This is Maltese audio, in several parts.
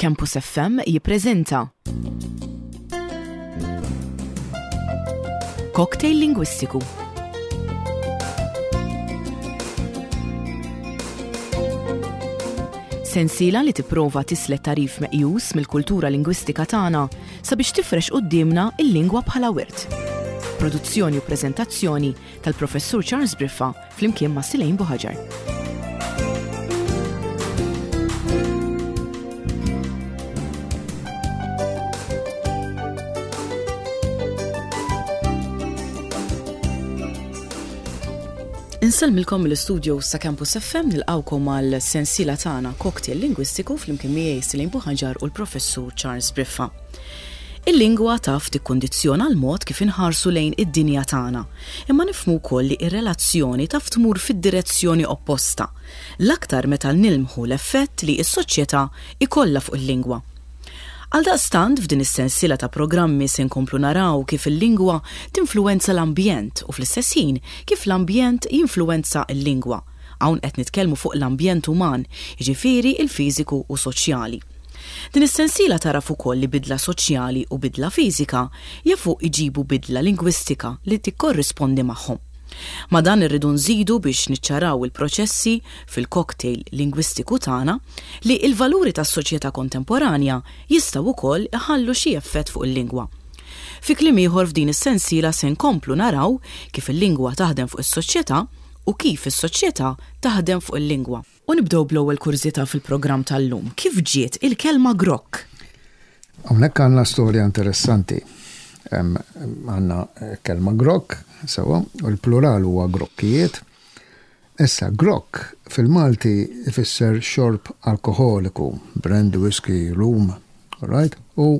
Campus FM jippreżenta Cocktail Lingwistiku. Sensiela li tipprova tislet tagħrif meqjus mill-kultura lingwistika tagħna sabiex tifrex quddiemna l-lingwa bħala wirt. Produzzjoni u preżentazzjoni tal-Professur Charles Briffa flimkien ma' Silejn Buħaġar. Insellmilkom mill-istudio sa' Campus FM nilqawkom għal sensiela tagħna Cocktail Lingwistiku flimkien miegħi Silejn Buħaġar u l-Professur Charles Briffa. Il-lingwa taf tikkundizzjona l-mod kif inħarsu lejn id-dinja tagħna, imma nifhmu wkoll li r-relazzjoni taf tmur fid-direzzjoni opposta, l-aktar meta nilmħu l-effett li s-soċjetà jkollha fuq il-lingwa. Għaldaqstant, f'din is-sensiela ta' programmi se nkomplu naraw kif il-lingwa tinfluwenza l-ambjent u fl-istess ħin kif l-ambjent jinfluwenza l-lingwa. Hawn qed nitkellmu fuq l-ambjent uman, jiġifieri l-fiżiku u soċjali. Din is-sensiela tagħraf ukoll li bidla soċjali u bidla fiżika jafu jġibu bidla lingwistika li tikkorrispondi magħhom. Ma' dan irridu nżidu biex niċċaraw il-proċessi fil-cocktail lingwistiku tagħna li l-valuri tas-soċjetà kontemporanja jistgħu wkoll iħallu xi effett fuq il-lingwa. Fi kliem ieħor f'din is-sensiela se nkomplu naraw kif il-lingwa taħdem fuq is-soċjetà u kif is-soċjetà taħdem fuq il-lingwa. U nibdew bl-ewwel kurżità fil-programm tal-lum. Kif ġiet il-kelma grokk? Hawnhekk għandna storja interessanti. Għandna kelma grokk, sewwa, u l-plural huwa grokkijiet. Issa, grokk fil-Malti ifisser xorb alkoħoliku, brandy, whisky, rum, all right? U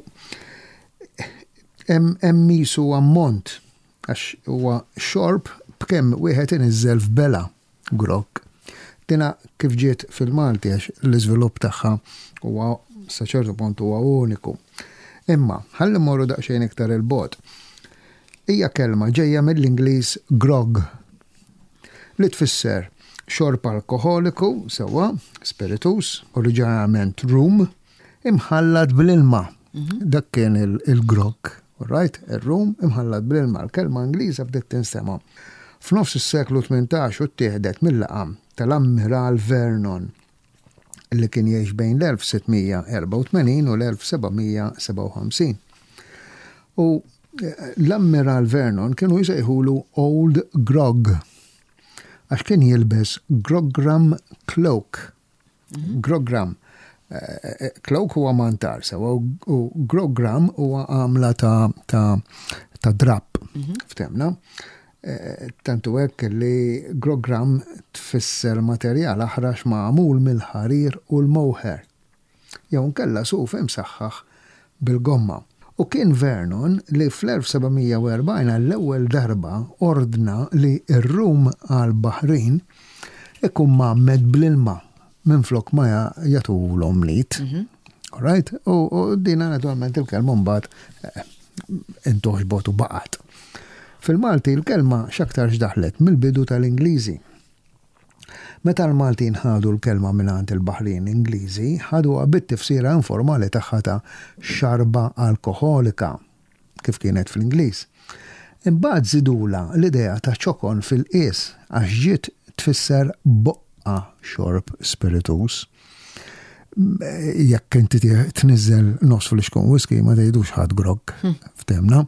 hemm qisu ammont għax huwa xorb b'kemm wieħed iniżżel f'bela. Grokk. Dina kif ġiet fil-Malti għax l-iżvilupp tagħha huwa sa ċertu punt huwa uniku. Imma, ħalli mmorru daqsxejn iktar 'il bogħod. Hija kelma ġejja mill-Ingliż grog li tfisser xorb alkoħoliku, sewwa, spiritus, oriġinarjament rum, Imħallat bl-ilma. Dak kien il-grog, right? Ir-rum imħallat bl-ilma. L-kelma Ingliża bdiet tinstema' f'nofs is-seklu 18 u ttieħdet mil-laqam tal-Ammiral Vernon li kien jgħix bejn l-1684 u l-1757. U eh, l-Ammiral Vernon kienu jsejħulu Old Grog għax kien jilbes grogram cloak Grogram. Eh, eh, cloak huwa mantar sewa u grogram huwa għamla ta' ta' ta' drapp. Mhm. Ftemna. Eh, tantu hekk li grogram tfisser materjal aħrax magħmul mill-ħarir u l-moher. Jew nkella suf imsaħħaħ bil-gomma. U kien Vernon li fl-1740 għall-ewwel darba ordna li r-rum għall-baħrin ikun mgħammed bl-ilma minflok ma jagħtuhulhom mlit. Mhm. All right? U dina naturalment il-kelma mbagħad eh, intoħxbot u baqgħet. Fil-Malti l-kelma x'aktarx daħlet mill-bidu tal-Ingliżi. Meta l-Maltin ħadu l-kelma mingħand il-baħrin Ingliżi, ħaduha bit-tifsira informali tagħha ta' xarba alkoħolika, kif kienet fl-Ingliż. Imbagħad żidulha l-idea ta' ċokon fil-qies għax ġiet tfisser boqqa xorb spirituż. Jekk inti tniżżel nofs flixkun whisky ma tgħidux ħadd grogg, ftehmna.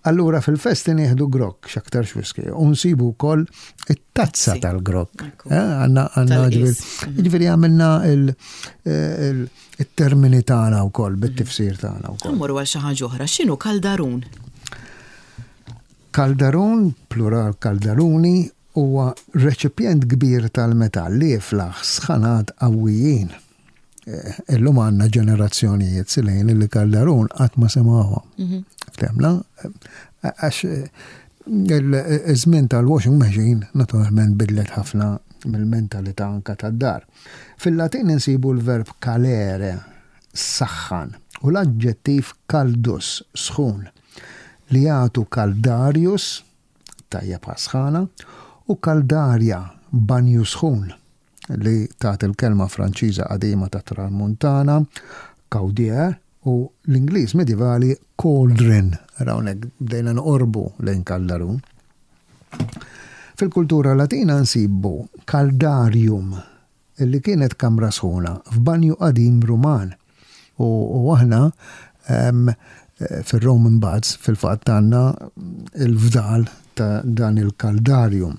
Allura fil-festi nieħdu grokk, x'aktarx whisky, u nsibu wkoll it-tazza tal-grokk. Eh, għanna għanna mhm. ġifieri għamilna il-termini tagħna wkoll bit-tifsir tagħna wkoll. Mmorru għal xi ħaġa oħra, x'inhu kaldarun? Kaldarun, plural kaldaruni, huwa reċipjent kbir tal-metall li jiflaħ sħanat qawwijin. Eh, illum għandna ġenerazzjonijiet silejn li Calderón qatt ma semgħuha. Mhm. Ftemna? Eh, għax eh, il-żmien tal-washing machine naturalment bidlet ħafna mill-mentalità anka tad-dar. Fil-Latin insibu l-verb calere, saħħan, u l-aġġettiv caldus, sħun, li jagħtu caldarius, tajjeb għas-sħana, u caldaria, banju sħun. li tagħti l-kelma Franċiża qadima tat-Tramuntana, Caudier u l-Ingliż medjevali cauldron. Ara hawnhekk bdejna noqorbu lejn kaldarun. Fil-kultura Latina nsibu caldarium li kienet kamra sħuna f'banju qadim Ruman. U aħna fir-Roman Baths fil-fatt għandna l-fdal ta' dan il-caldarium.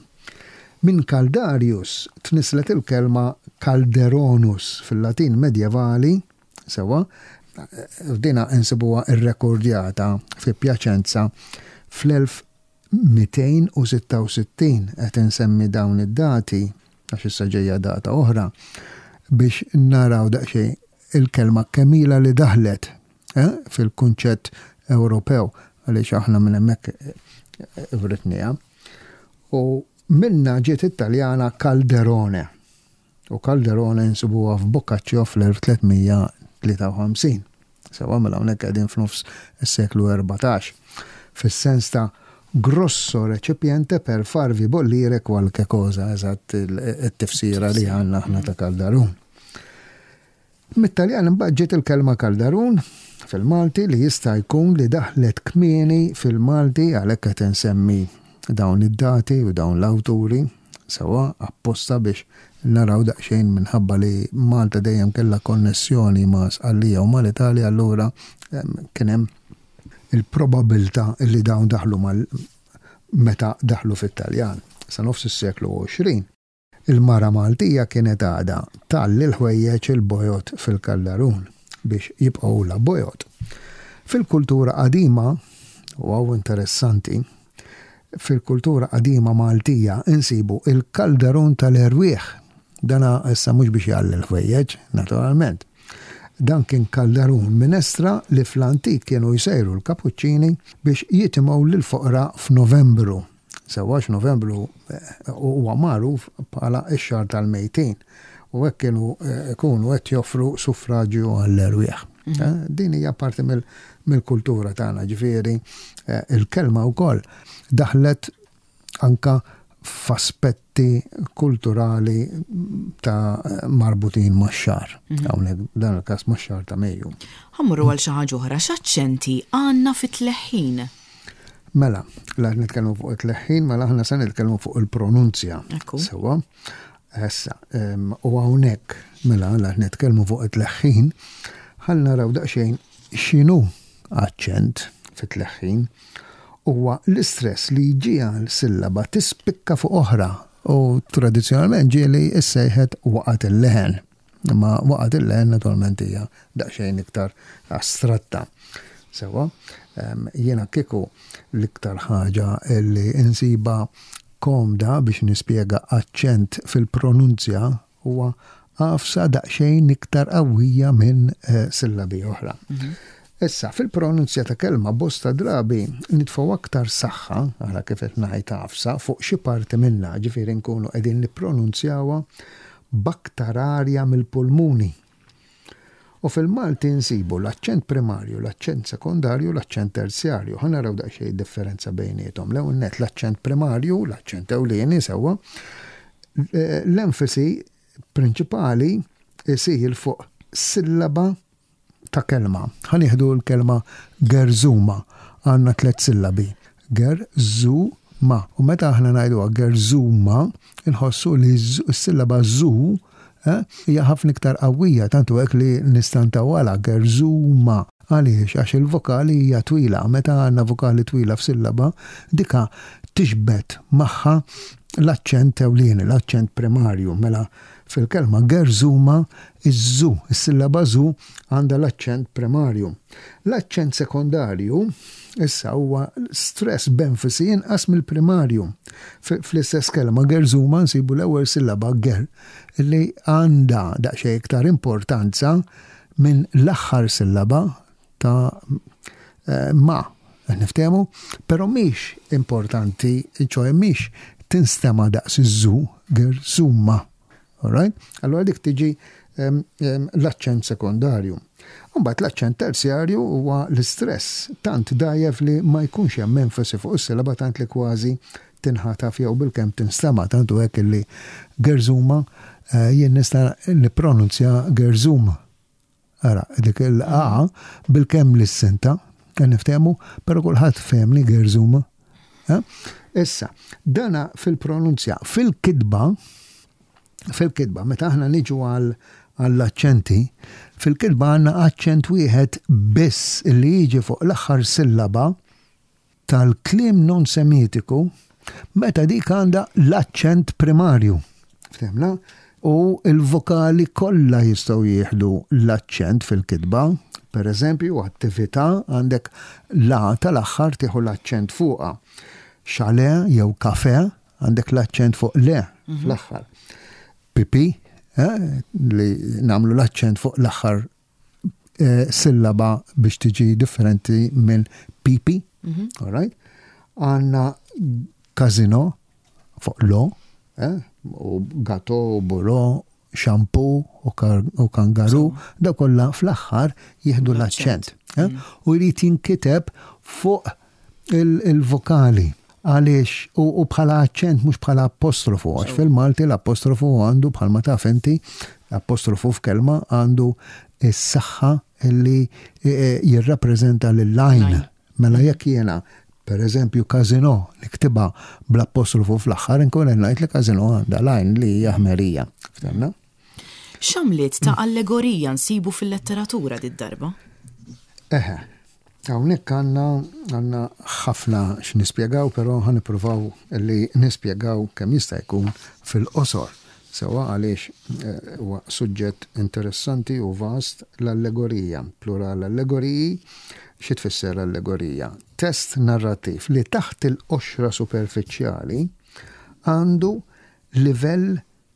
Minn caldarius tnisslet il-kelma calderonus fil-Latin medjevali, sewwa, u dina insibuha rrekordjata fi Piacenza fl-1266. Qed insemmi dawn id-dati għax issa ġejja data oħra biex naraw daqsxejn il-kelma kemm ilha li daħlet eh, fil-kunċett Ewropew għaliex aħna minn hemmhekk writniha. U minnha ġiet it-Taljana Calderone. U Calderone nsibuha f'Boccaccio fl-1353. Sewa mela hawnhekk qegħdin f'nofs is-seklu 14. Fis-sens ta' grosso recipiente per farvi bollire qualche cosa, eżatt it-tifsira li għandna aħna ta' Calderone. Mit-Taljan imbagħad ġiet il-kelma kaldarun fil-Malti li jista' jkun li daħlet kmieni fil-Malti għalhekk qed insemmi dawn id-dati u dawn l-awturi sewwa apposta biex naraw daqsxejn minħabba li Malta dejjem kellha konnessjoni ma' Sqallija u mal-Italja allura kien hemm il-probabilità li dawn daħlu mal meta daħlu fit-Taljan sa nofs is-seklu 20. Il-mara Maltija kienet għadha tgħalli l-ħwejjeġ il-bojod fil-kaldarun biex jibqgħulha bojod. Fil-kultura qadima, u hawn interessanti, fil-kultura qadima Maltija insibu il-kaldarun tal-erwieħ. Dana issa mhux biex jgħalli l-ħwejjeġ, naturalment. Dan kien kaldarun minestra li fl-antik kienu jsejru l-kapuċċini biex jitimgħu lill-foqra f'Novembru. Sewwa għax Novembru huwa magħruf bħala x-xahar tal-mejtin u hekk kienu jkunu qed joffru suffraġju għall-erwieħ. Din hija parti mill-kultura tagħna, ġifieri il-kelma wkoll daħlet anka f'aspetti kulturali ta' marbutin max-xahar. Hawnhekk dan il-każ max-xahar ta' Mejju. Ħa mmorru għal xi ħaġa oħra, x'aċċenti għandna fit-tleħħin? Mela, la nitkellmu fuq it-tleħħin, mela aħna se nitkellmu fuq il-pronunzja. Sewa. Issa, u hawnhekk, mela la nitkellmu fuq it-tleħħin, ħalli naraw daqsxejn x'inhu aċċent fit-tleħħin. Huwa l-istress li jġiegħel sillaba tispikka fuq oħra u tradizzjonalment ġieli issejħet waqgħet il-leħen. Imma waqgħet il-leħen naturalment hija daqsxejn iktar astratta. Sewa, jiena kieku l-iktar ħaġa li insiba komda biex nispjega aċċent fil-pronunzja huwa għafsa daqsxejn iktar qawwija minn eh, sillabi oħra. Mhm. Issa, fil-pronunzja ta' kelma bosta drabi nitfgħu aktar saħħa, ara kif qed ngħid għafsa, fuq xi parti minnha, ġifieri nkunu qegħdin nippronunzjawha b'aktar arja mill-pulmuni. U fil-Malti nsibu l-aċċent primarju, l-aċċent sekondarju, l-aċċent terzjarju. Ħa naraw daqsxejn id-differenza bejniethom. L-ewwel nett l-aċċent primarju, l-aċċent ewlieni sewwa, l-enfasi prinċipali isir fuq sillaba ta' kelma. Ħa nieħdu l-kelma gerżuma. Għandna tlett sillabi. Ger-zu-ma. U meta aħna ngħiduha gerżuma, inħossu li s-sillaba zu eh, hija ħafna iktar qawwija, tant hu hekk li nistantawha gerżuma. Għaliex? Għax il-vokali hija twila. Meta għandna vokali twila f'sillaba, dika tixbet magħha l-aċċent ewlieni, l-aċċent primarju. Mela Fil-kelma gerżuma, iż-żu, is-sillaba żu għandha l-aċċent primarju. L-aċċent sekondarju issa huwa stress b'enfasi inqas mill-primarju. Fl-istess kelma gerżuma nsibu l-ewwel sillaba ger li għandha daqsxejn iktar importanza minn l-aħħar sillaba ta' eh, ma. Niftehmu, però mhix importanti, ċoe mhix tinstema daqs iż-żu, ger zuma. Alright? Allora dik tiġi l-aċċent sekondarju. Mbagħad l-aċċent terzjarju huwa l-istress tant dajjef li ma jkunx hemm enfasi fuq is-silaba tant li kważi tinħataf jew bilkemm tinstema' tant hu hekk illi gerzuma eh, jien nista' nippronunzja gerzum. Ara, dik il-A bil-kemm l-issinta, niftehmu, però kulħadd fehmni gerżuma. Eh? Issa, dana fil-pronunzja, fil-kitba, fil-kitba, meta aħna niġu għal għall-aċċenti, fil-kitba għandna aċċent wieħed biss li jiġi fuq l-aħħar sillaba tal-kliem non-Semitiku meta dik għandha l-aċċent primarju. Ftemna? U l-vokali kollha jistgħu jieħdu l-aċċent fil-kitba. Per eżempju, attività għandek la tal-aħħar tieħu l-aċċent fuqha. Chalet jew kafe għandek l-aċċent fuq le mhm. fl-aħħar. Pipi, eh, li nagħmlu l-aċċent fuq l-aħħar eh, sillaba biex tiġi differenti minn pipi, mhm. all right? Għanna kazino fuq lo, eh, u gato, u buro, xampu u kangaru, da kollha fl-aħħar jieħdu l-aċċent. Eh? Mm. U jrid jinkiteb fuq il-vokali. Għaliex u bħala aċċent mhux bħala apostrofu, għax fil-Malti l-apostrofu għandu bħalma taf inti, apostrofu f'kelma għandu s-saħħa li e, e, jirrappreżenta lil-lajn. Mela jekk jiena per eżempju kazino niktibha bl-apostrofu fl-aħħar inkun qed ngħid li kazino għandha lajn li hija ħmerija. Ftemna? X'għamliet ta' allegorija nsibu fil-letteratura did-darba? Eħe, Hawnhekk għandna għandna ħafna x'nispjegaw, però ħa nippruvaw li nispjegaw kemm jista' jkun fil-qosor. Sewwa għaliex eh, huwa suġġett interessanti u vast l-allegorija, plural allegoriji, xi tfisser allegorija? Test narrattiv li taħt il-qoxra superfiċjali għandu livell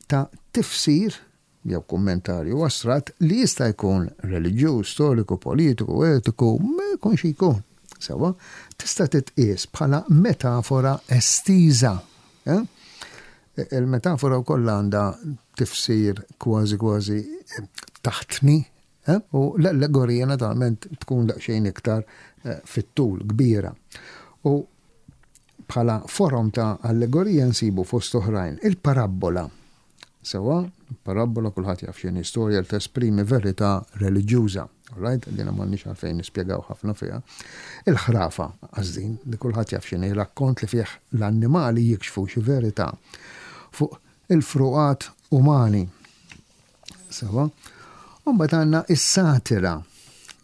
ta' tifsir jew kummentarju astratt li jista' jkun reliġjuż, storiku, politiku, etiku, ma jkun xi jkun. Sewwa, tista' titqies bħala metafora estiża. Eh? Il-metafora wkoll għandha tifsir kważi kważi eh, taħtni, eh? u l-allegorija naturalment tkun daqsxejn iktar fit-tul kbira. U bħala forom ta' allegorija nsibu fost oħrajn il-parabbola Sewwa, parabbola kulħadd jaf x'inhi storja li tesprimi verità reliġjuża. Alright, dina m'għandniex għalfejn nispjegaw ħafna fiha. Il-ħrafa, għażdin, li kulħadd jaf x'inhi rakkont li fih l-annimali jikxfu xi verità fuq il-fruqat umani. Sewwa. U mbagħad għandna is-satira,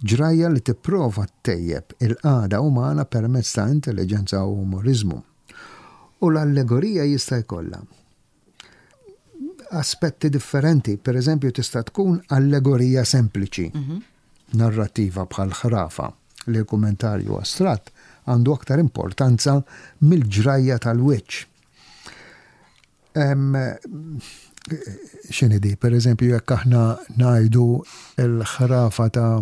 ġrajja li tipprova ttejjeb il-qagħda umana permezz ta' intelliġenza u umoriżmu. U l-allegorija jista' jkollha aspetti differenti. Per eżempju, tista' tkun allegorija sempliċi, mhm. narrativa bħal ħrafa li l-kummentarju astratt għandu aktar importanza mill-ġrajja tal-wiċċ. X'inhi di, per eżempju, jekk aħna ngħidu l-ħrafa ta'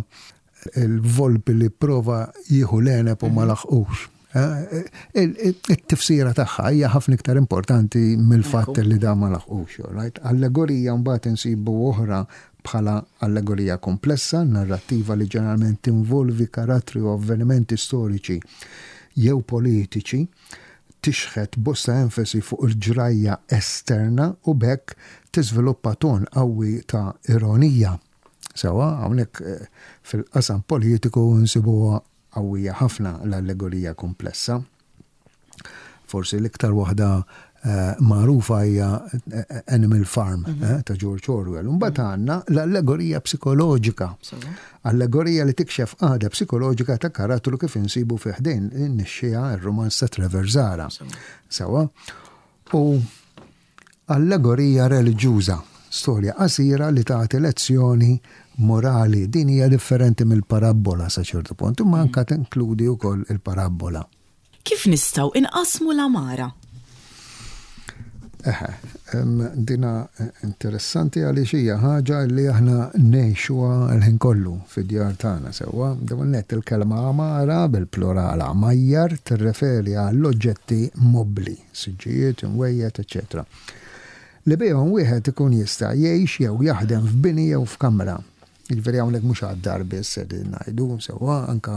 il-volpi li prova jieħu l-għeneb u ma mhm. laħqux. Eh, it-tifsira tagħha hija ħafna iktar importanti mill-fatt li da ma laħqux. Right? Allegorija mbagħad insibu oħra bħala allegorija komplessa, narrattiva li ġeneralment tinvolvi karattri u avvenimenti storiċi jew politiċi, tixħet bosta enfasi fuq il-ġrajja esterna u b'hekk tiżviluppa ton qawwi ta' ironija. Sewwa, hawnhekk eh, fil-qasam politiku nsibuha qawwija ħafna l-allegorija komplessa. Forsi l-iktar waħda eh, magħrufa hija eh, Animal Farm mhm. ta' George Orwell. Mbagħad mhm. għandna l-allegorija psikoloġika. Allegorija li tikxef għada psikoloġika ta' karattru kif insibu fi ħdejn in-nixxija r-romanz ta' Trevor Zara. Sewa. U Allegorija reliġjuża, storja qasira li tagħti lezzjoni morali. Din hija differenti mill-parabbola sa ċertu punt, imma anke tinkludi wkoll il-parabbola. Kif nistgħu inqassmu l-għamara? Eħe, dina interessanti għaliex hija ħaġa li aħna ngħixuha l-ħin kollu fid-djar tagħna sewwa. Dawn nett il-kelma għamara bil-plural għamajjar tirreferi għall-oġġetti mobbli. siġġijiet, imwejjed, eċċetera Li bihom wieħed ikun jista' jgħix jew jaħdem f'bini jew f'kamra. Jiġifieri hawnhekk mhux għad-dar biss qegħdin ngħidu, sewwa anke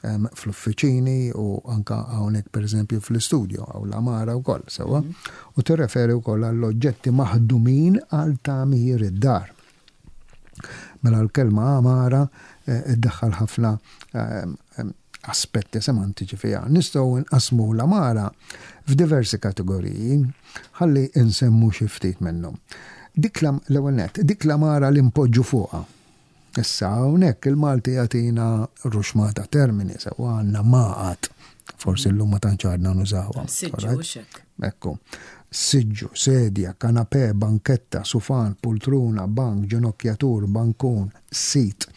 ehm, fl-uffiċini u anke hawnhekk pereżempju fl-istudjo hawn l-għamara wkoll, sewwa. Mhm. U tirreferi wkoll għall-oġġetti maħdumin għal tagħmir id-dar. Mela l-kelma għamara eh, iddaħħal ħafna eh, aspetti semantiċi fiha. Nistgħu nqasmu l-għamara f'diversi kategoriji, ħalli nsemmu xi ftit minnhom. Dik l-ewwel nett, dik l-għamara li npoġġu fuqha. Issa hawnhekk il-Malti jagħtina ruxmata termini sewwa għandna maqgħad. Forsi llum ma tantx għadna nużawha. Siġġu Ekku. Siġġu, sedja, kanapè, banketta, sufan, pultruna, bank, ġenokjatur, bankun, seat,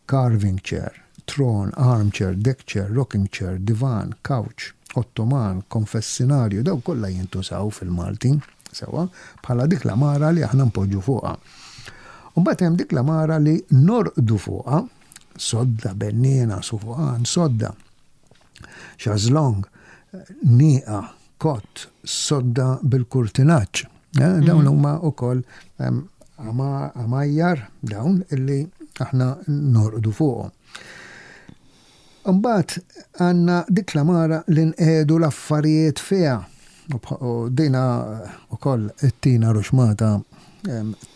carving chair, tron, armchair, deck chair, rocking chair, divan, couch, ottoman, konfessinarju, dawn kollha jintużaw fil-Malti, sewwa, bħala dik l-għamara li aħna npoġġu fuqha. U mbagħad hemm dik l-għamara li norqdu fuqha, sodda, benniena, sufuqan, sodda, xażlong, nieqa, kott, sodda bil-kurtinaġġ. Eh, dawn mhm. huma wkoll għamajjar dawn illi aħna norqdu fuqhom. Imbagħad għandna dik l-għamara li nqiegħdu l-affarijiet fiha. U dina wkoll ittina ruxmata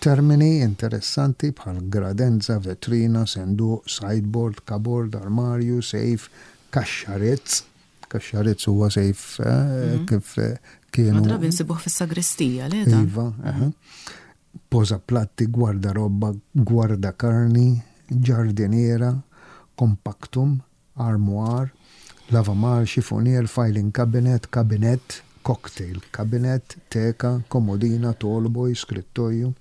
termini interessanti bħal gradenza, vetrina, senduq, sideboard, cupboard, armarju, safe, kaxxa ritz. Kaxxa ritz huwa safe mhm. kif kienu. Drabi nsibuh fis-sagristija, le? Iva, Pożaplatti, gwardarobba, gwardakarni, ġardiniera, compactum, armwar, lavamar, xifunier, filing cabinet, kabinett, cocktail cabinet, teka, komodina, tallboy, skrittoju,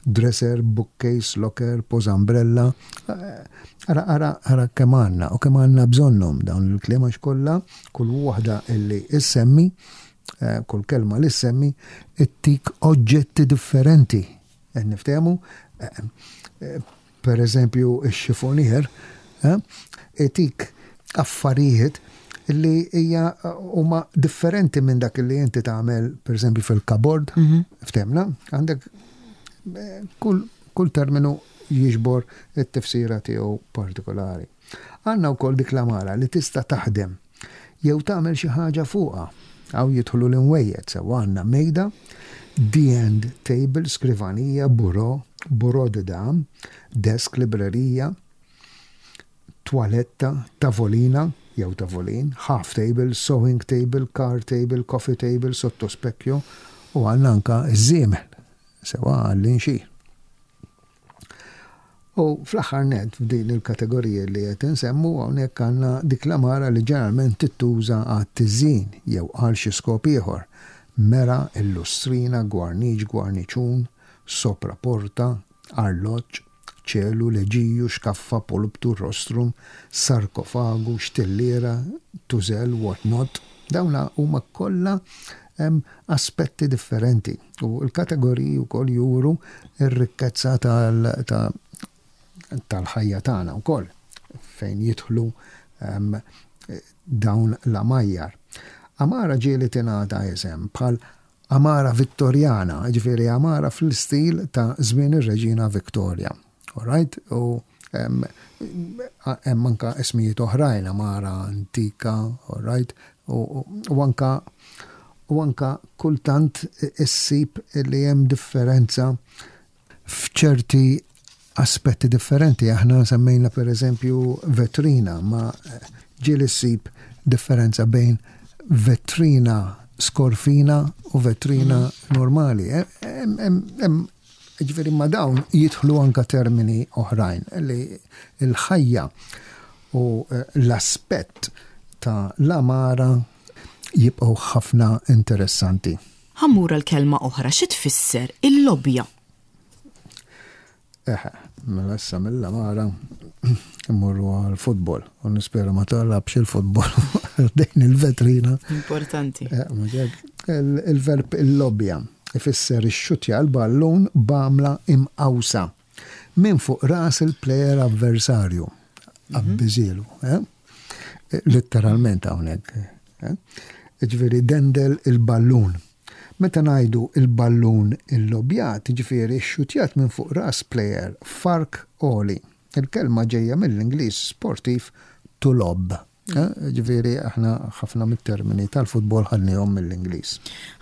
dresser, bookcase, locker, pożambrella. Ara, ara, ara kemm għandna u kemm għandna bżonnhom dawn il-kliem għax kollha kull waħda illi issemmi Eh, kull kelma li semmi ittik oġġetti differenti. Qed niftehmu, eh, eh, per eżempju, ix-xifonier, itik affarijiet li hija huma differenti minn dak li inti tagħmel per eżempju fil-kabord, mhm. ftemna, għandek kull, kull terminu jiġbor it-tifsira tiegħu partikolari. Għandna wkoll dik l-amara li tista' taħdem jew tagħmel xi ħaġa fuqha. Hawn jidħlu l-imwejjed sewwa għandna mejda, the end table, skrivanija, bureau, bureau de dame, desk, librerija, twaletta, tavolina jew tavolin, half table, sewing table, card table, coffee table, sottospecchio u għandna anka ż-żiemel sewwa għall-inxir. U fl-aħħar nett f'din il-kategorija li qed insemmu hawnhekk għandna dik l-għamara li ġeneralment tittuża għat-tiżjin jew għal xi skop ieħor, mera, illustrina, gwarniċ, gwarniċun, sopraporta, arloġġ, ċelu, leġiju, xkaffa, pulptu, rostrum, sarkofagu, xtilliera, tużell, what not. Dawn huma kollha aspetti differenti u l-kategoriji wkoll juru r-rikkezza tal-ħajja tagħna wkoll fejn jidħlu dawn l-għamajjar. Għamara ġieli tingħata isem bħal għamara Vittorjana, ġifieri għamara fl-istil ta' żmien ir-Reġina Victoria. All right? U hemm anka ismijiet oħrajn, għamara antika, all right? U anka u anka kultant issib li hemm differenza f'ċerti aspetti differenti. Aħna semmejna per eżempju vetrina, ma ġieli ssib differenza bejn vetrina skorfina u vetrina mm. normali. Ġifieri ma' dawn jidħlu anka termini oħrajn li l-ħajja u eh, l-aspett ta' l-amara jibqgħu ħafna interessanti. Ħammura l-kelma oħra xi tfisser il-lobja? Eħe, mela issa mill-amara immorru għal-futbol u nispera ma talabx il-futbol dejn il-vetrina. Importanti. Eh, il-verb il-lobja ifisser ixxuttja l-ballun b'għamla imqawsa minn fuq ras il-plejer avversarju. Mhm. Abbiżilu. Eh? Letteralment hawnhekk. Eh? Ġifieri dendel il-ballun. Meta ngħidu il-ballun illobjat, ġifieri xxutjat minn fuq ras plejer f'ark għoli. Il-kelma ġejja mill-Ingliż sportiv to lob. Eh, ġifieri aħna ħafna mit-termini tal-futbol ħadnihom mill-Ingliż.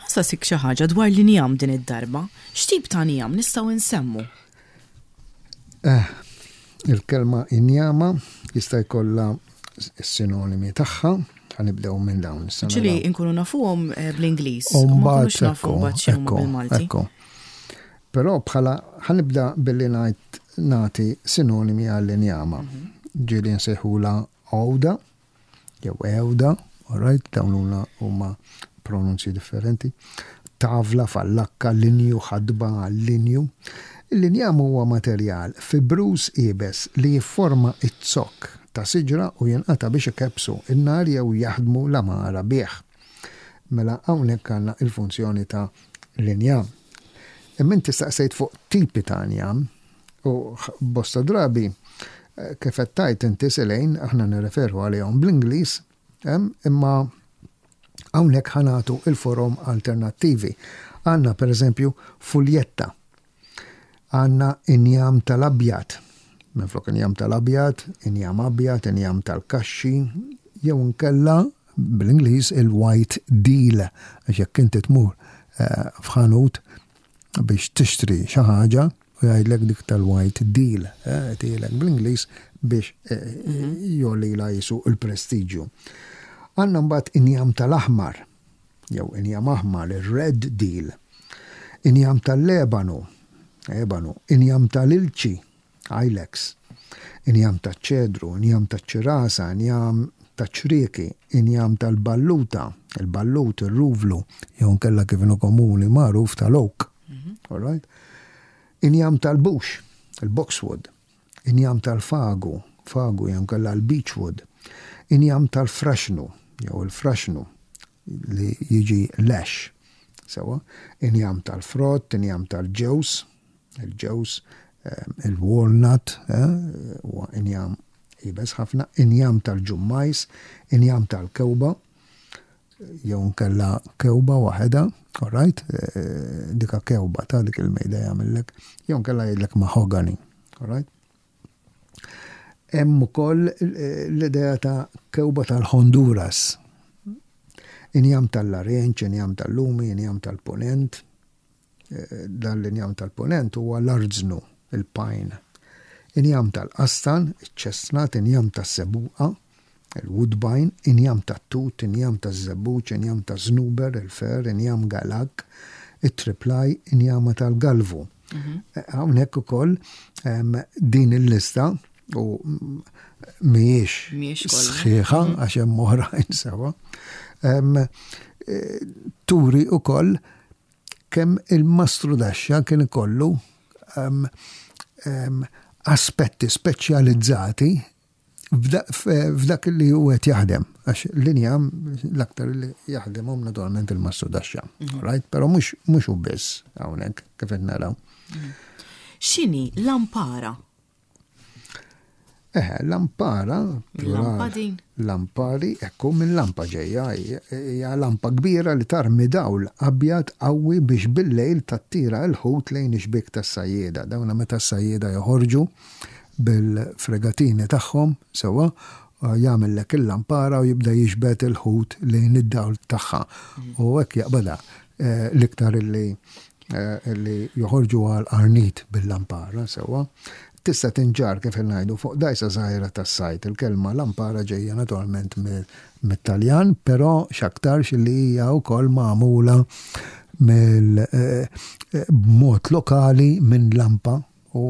Ħa nsaqsik xi ħaġa dwar l-injam din id-darba. X'tip ta' njam nistgħu nsemmu? Eh, il-kelma injama jista' jkollha s-sinonimi tagħha, ħanibdew minn dawn. Ġili nkunu nafuhom eh, bl-Ingliż. U mbagħad nafu mbagħad x'inhuma bil-Malti. Però bħala ħanibda billi ngħid nagħti sinonimi għall-injama. Mhm. Ġieli nsejħula għawda, jew għewda, all right, dawn huma pronunzji differenti. Tavla, fallakka, linju, ħadba, linju. Il-linjam huwa materjal fibruż iebes li jifforma z-zokk ta' siġra u jinqata' biex ikebbsu n-nar jew jaħdmu l-għamara bih. Mela hawnhekk għandna l-funzjoni ta' l-injam. Imma inti staqsejt fuq tipi ta' injam u bosta drabi kif qed tgħid inti Selejn aħna nirreferu għalihom bl-Ingliż imma hawnhekk ħa nagħtu il-forom alternattivi. Għandna pereżempju fuljetta. Għandna injam tal-abjad. Minflok injam tal-abjad, injam abjad, injam tal-kaxxi, jew inkella bl-Ingliż il-white deal, għax jekk inti tmur eh, f'ħanut biex tixtri xi ħaġa u jgħidlek dik tal-white deal, eh, tielek bl-Ingliż biex eh, mhm. jolila jisu il-prestiġju. Għandna mbagħad injam tal-aħmar, jew injam aħmar, il-red deal, injam tal-lebanu, ebanu, injam tal-ilċi, ilex, injam taċ-ċedru, injam taċ-ċirasa, injam taċ-ċrieki, injam tal-balluta, il-ballut, ir-ruvlu, jew nkella kif inhu komuni magħruf tal-oak. Mhm. All right? Injam tal-bux, il-boxwood, injam tal-fagu, fagu jew nkella l-beechwood, injam tal-fraxnu, jew il-fraxnu, li jiġi lash. Sewa, injam tal-frott, injam tal-ġewż, il-ġewż, eh, il-walnut, eh, huwa injam ibes ħafna, injam tal-ġummajs, injam tal-kewba, jew nkella kewba waħedha, all right, eh, dika kewba ta' dik il-mejda jagħmillek, jew nkella jgħidlek mahogany, all right. Hemm ukoll eh, l-idea ta' kewba tal-Honduras. Injam tal-Larenċ, injam tal-Lumi, injam tal-Ponent. Eh, dan l-injam tal-Ponent huwa l-arznu, il-pine. Injam tal-qastan, iċ-chestnut, injam tas-sebuqa, il-woodbine, injam tat-tut, injam taż-żebbuġ, injam taż-żnuber, il-fer, injam galak, it-triplaj, injama tal-galvu. Mhm. Hawnhekk ukoll din il-lista u mhijiex sħiħa mhm. għax hemm oħrajn sewa. Eh, turi ukoll kemm il-mastru daxxa kien ikollu aspetti speċjalizzati f'dak li hu qed jaħdem, għax l-injam l-aktar li jaħdemhom naturalment il-mastru daxxa, mhm. right? Però mhux mhux hu biss hawnhekk kif qed naraw. Mhm. X'inhi lampara? Eh, lampara, Lampadin. Lampari, ekku minn lampa ġejja, hija lampa kbira li tarmi dawl abjad qawwi biex bil-lejl tattira l-ħut lejn ix-xbiek tas-sajjieda. Dawna meta s-sajjieda joħorġu bil-fregatini tagħhom sewwa, jagħmillek il-lampara u jibda jiġbed il-ħut lejn id-dawl tagħha. U hekk jaqbadha eh, l-iktar illi eh, li joħorġu għal qarnit bil-lampara sewwa. Tista' tinġarr kif ngħidu fuq dgħajsa żgħira tas-sajd. Il-kelma lampara ġejja naturalment mit-Taljan, però x'aktarx li hija wkoll magħmula mill eh, b'mod lokali minn lampa u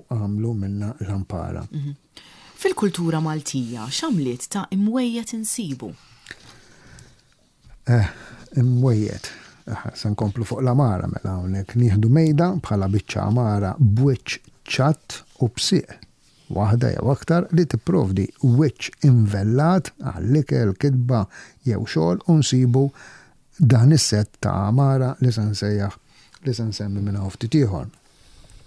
għamlu minnha lampara. Mhm. Fil-kultura Maltija x'għamliet ta' imwejjed insibu? Eh, imwejjed. Eh, se nkomplu fuq l-amara mela hawnhekk nieħdu mejda bħala biċċa amara b'wiċċ ċatt u b'sieq waħda jew aktar li tipprovdi wiċċ invellat għall-ikel, kitba jew xogħol u nsibu dan is-sett ta' għamara li se nsejjaħ li se nsemmi minn hawn ftit ieħor.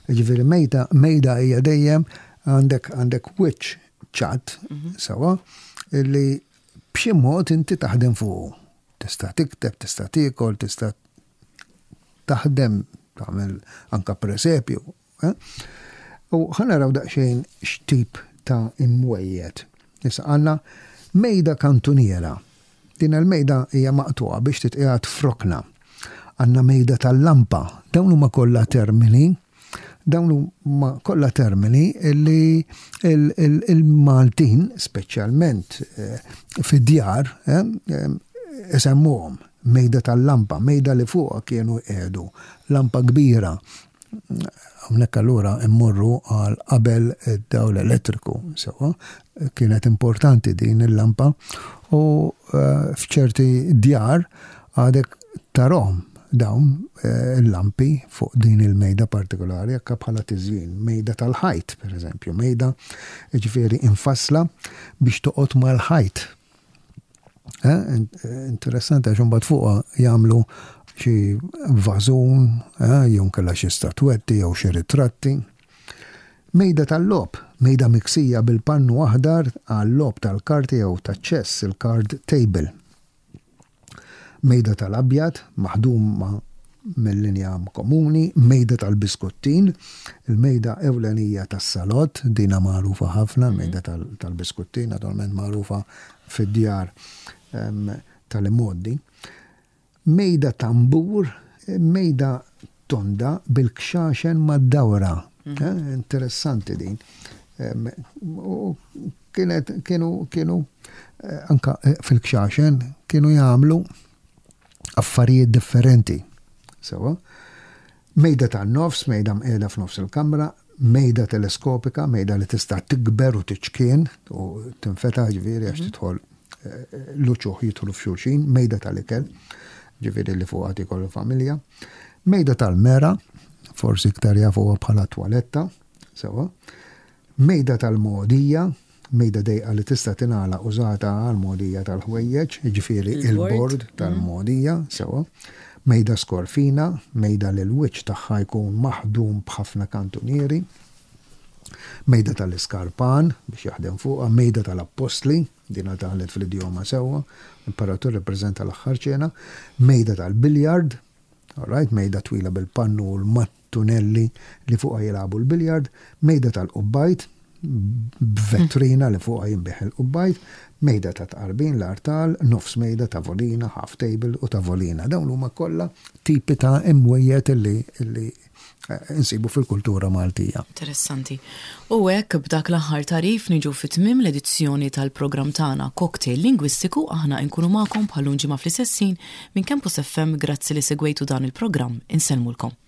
Jiġifieri mejda, mejda hija dejjem għandek għandek wiċċ ċatt mhm. sewa li b'xi mod inti taħdem fuqu. Tista' tikteb, tista' tiekol, tista' taħdem, tagħmel anka presepju. Eh? U ħa naraw daqsxejn x'tip ta' imwejjed. Issa għandna mejda kantuniera. Din il-mejda hija maqtugħa biex titqiegħed f'rokna. Għandna mejda tal-lampa. Dawn huma kollha termini. Dawn huma kollha termini li il-Maltin, speċjalment eh, fid-djar, eh, eh, isemmuhom mejda tal-lampa, mejda li fuqha kienu jqiegħdu lampa kbira. Hawnhekk allura immorru għal qabel id-dawl elettriku, sewa, kienet importanti din il-lampa u f'ċerti djar għadek tarahom dawn eh, il-lampi fuq din il-mejda partikolari akka bħala tiżjin, mejda tal-ħajt, per eżempju, mejda ġifieri infassla biex toqgħod mal-ħajt. Eh, interessanti għax imbagħad fuqha jagħmlu xi vażun, eh, jew kellha xi statwetti jew xi ritratti. Mejda tal-logħob, mejda miksija bil-pannu aħdar għal-logħob tal-karti jew taċ-ċess, il-card table. Mejda tal-abjad, maħduma mill-injam komuni, mejda tal-biskuttin, il-mejda ewlenija tas-salott, dina magħrufa ħafna, il-mejda tal-biskuttin, naturalment magħrufa fid-djar tal-imgħoddi. Mejda tambur, mejda tonda bil-kxaxen mad-dawra. Mhm. Interessanti din. U kienet kienu kienu eh, anka eh, fil-kxaxen kienu jagħmlu affarijiet differenti. Sewa. Mejda tan-nofs, mejda mqiegħda f'nofs il-kamra, mejda teleskopika, mejda li tista' tikber u tiċkien u tinfetaħ ġifieri għax mhm. tidħol eh, l-uċuħ jidħlu f'xulxin, mejda tal-ikel, ġifieri li fuqha tikol familja, mejda tal-mera, forsi iktar jafuha bħala twaletta, sewa, Mejda tal-mogħdija, mejda dejqa li tista' tingħalaq użata għall-mogħdija tal-ħwejjeġ, jiġifieri il-bord tal-mogħdija, sewwa. Mejda skorfina, mejda li l-wiċċ tagħha jkun maħdum b'ħafna kantunieri. Mejda tal-iskarpan, biex jaħdem fuqha, mejda tal-appostli, dina daħlet fl-idjoma sewwa, l-imperatur irrappreżenta l-aħħar ċena, mejda tal-biljard, all right, mejda twila bil-pannu u l-matt tunelli li fuqha jilagħbu l-biljard, mejda tal-qubbajt, b'vetrina li fuqha jinbiegħ il-qubbajt, mejda ta' tqarbin, l-artal, nofs mejda, tavolina, half table u tavolina. Dawn huma kollha tipi ta' imwejjed illi illi eh, insibu fil-kultura Maltija. Interessanti. U hekk b'dak l-aħħar tagħrif niġu fi tmiem l-edizzjoni tal-programm tagħna Cocktail Lingwistiku aħna nkunu magħkom bħal ġimgħa fl-istess ħin Minn Campus FM grazzi li segwejtu dan il-programm insellmulkom.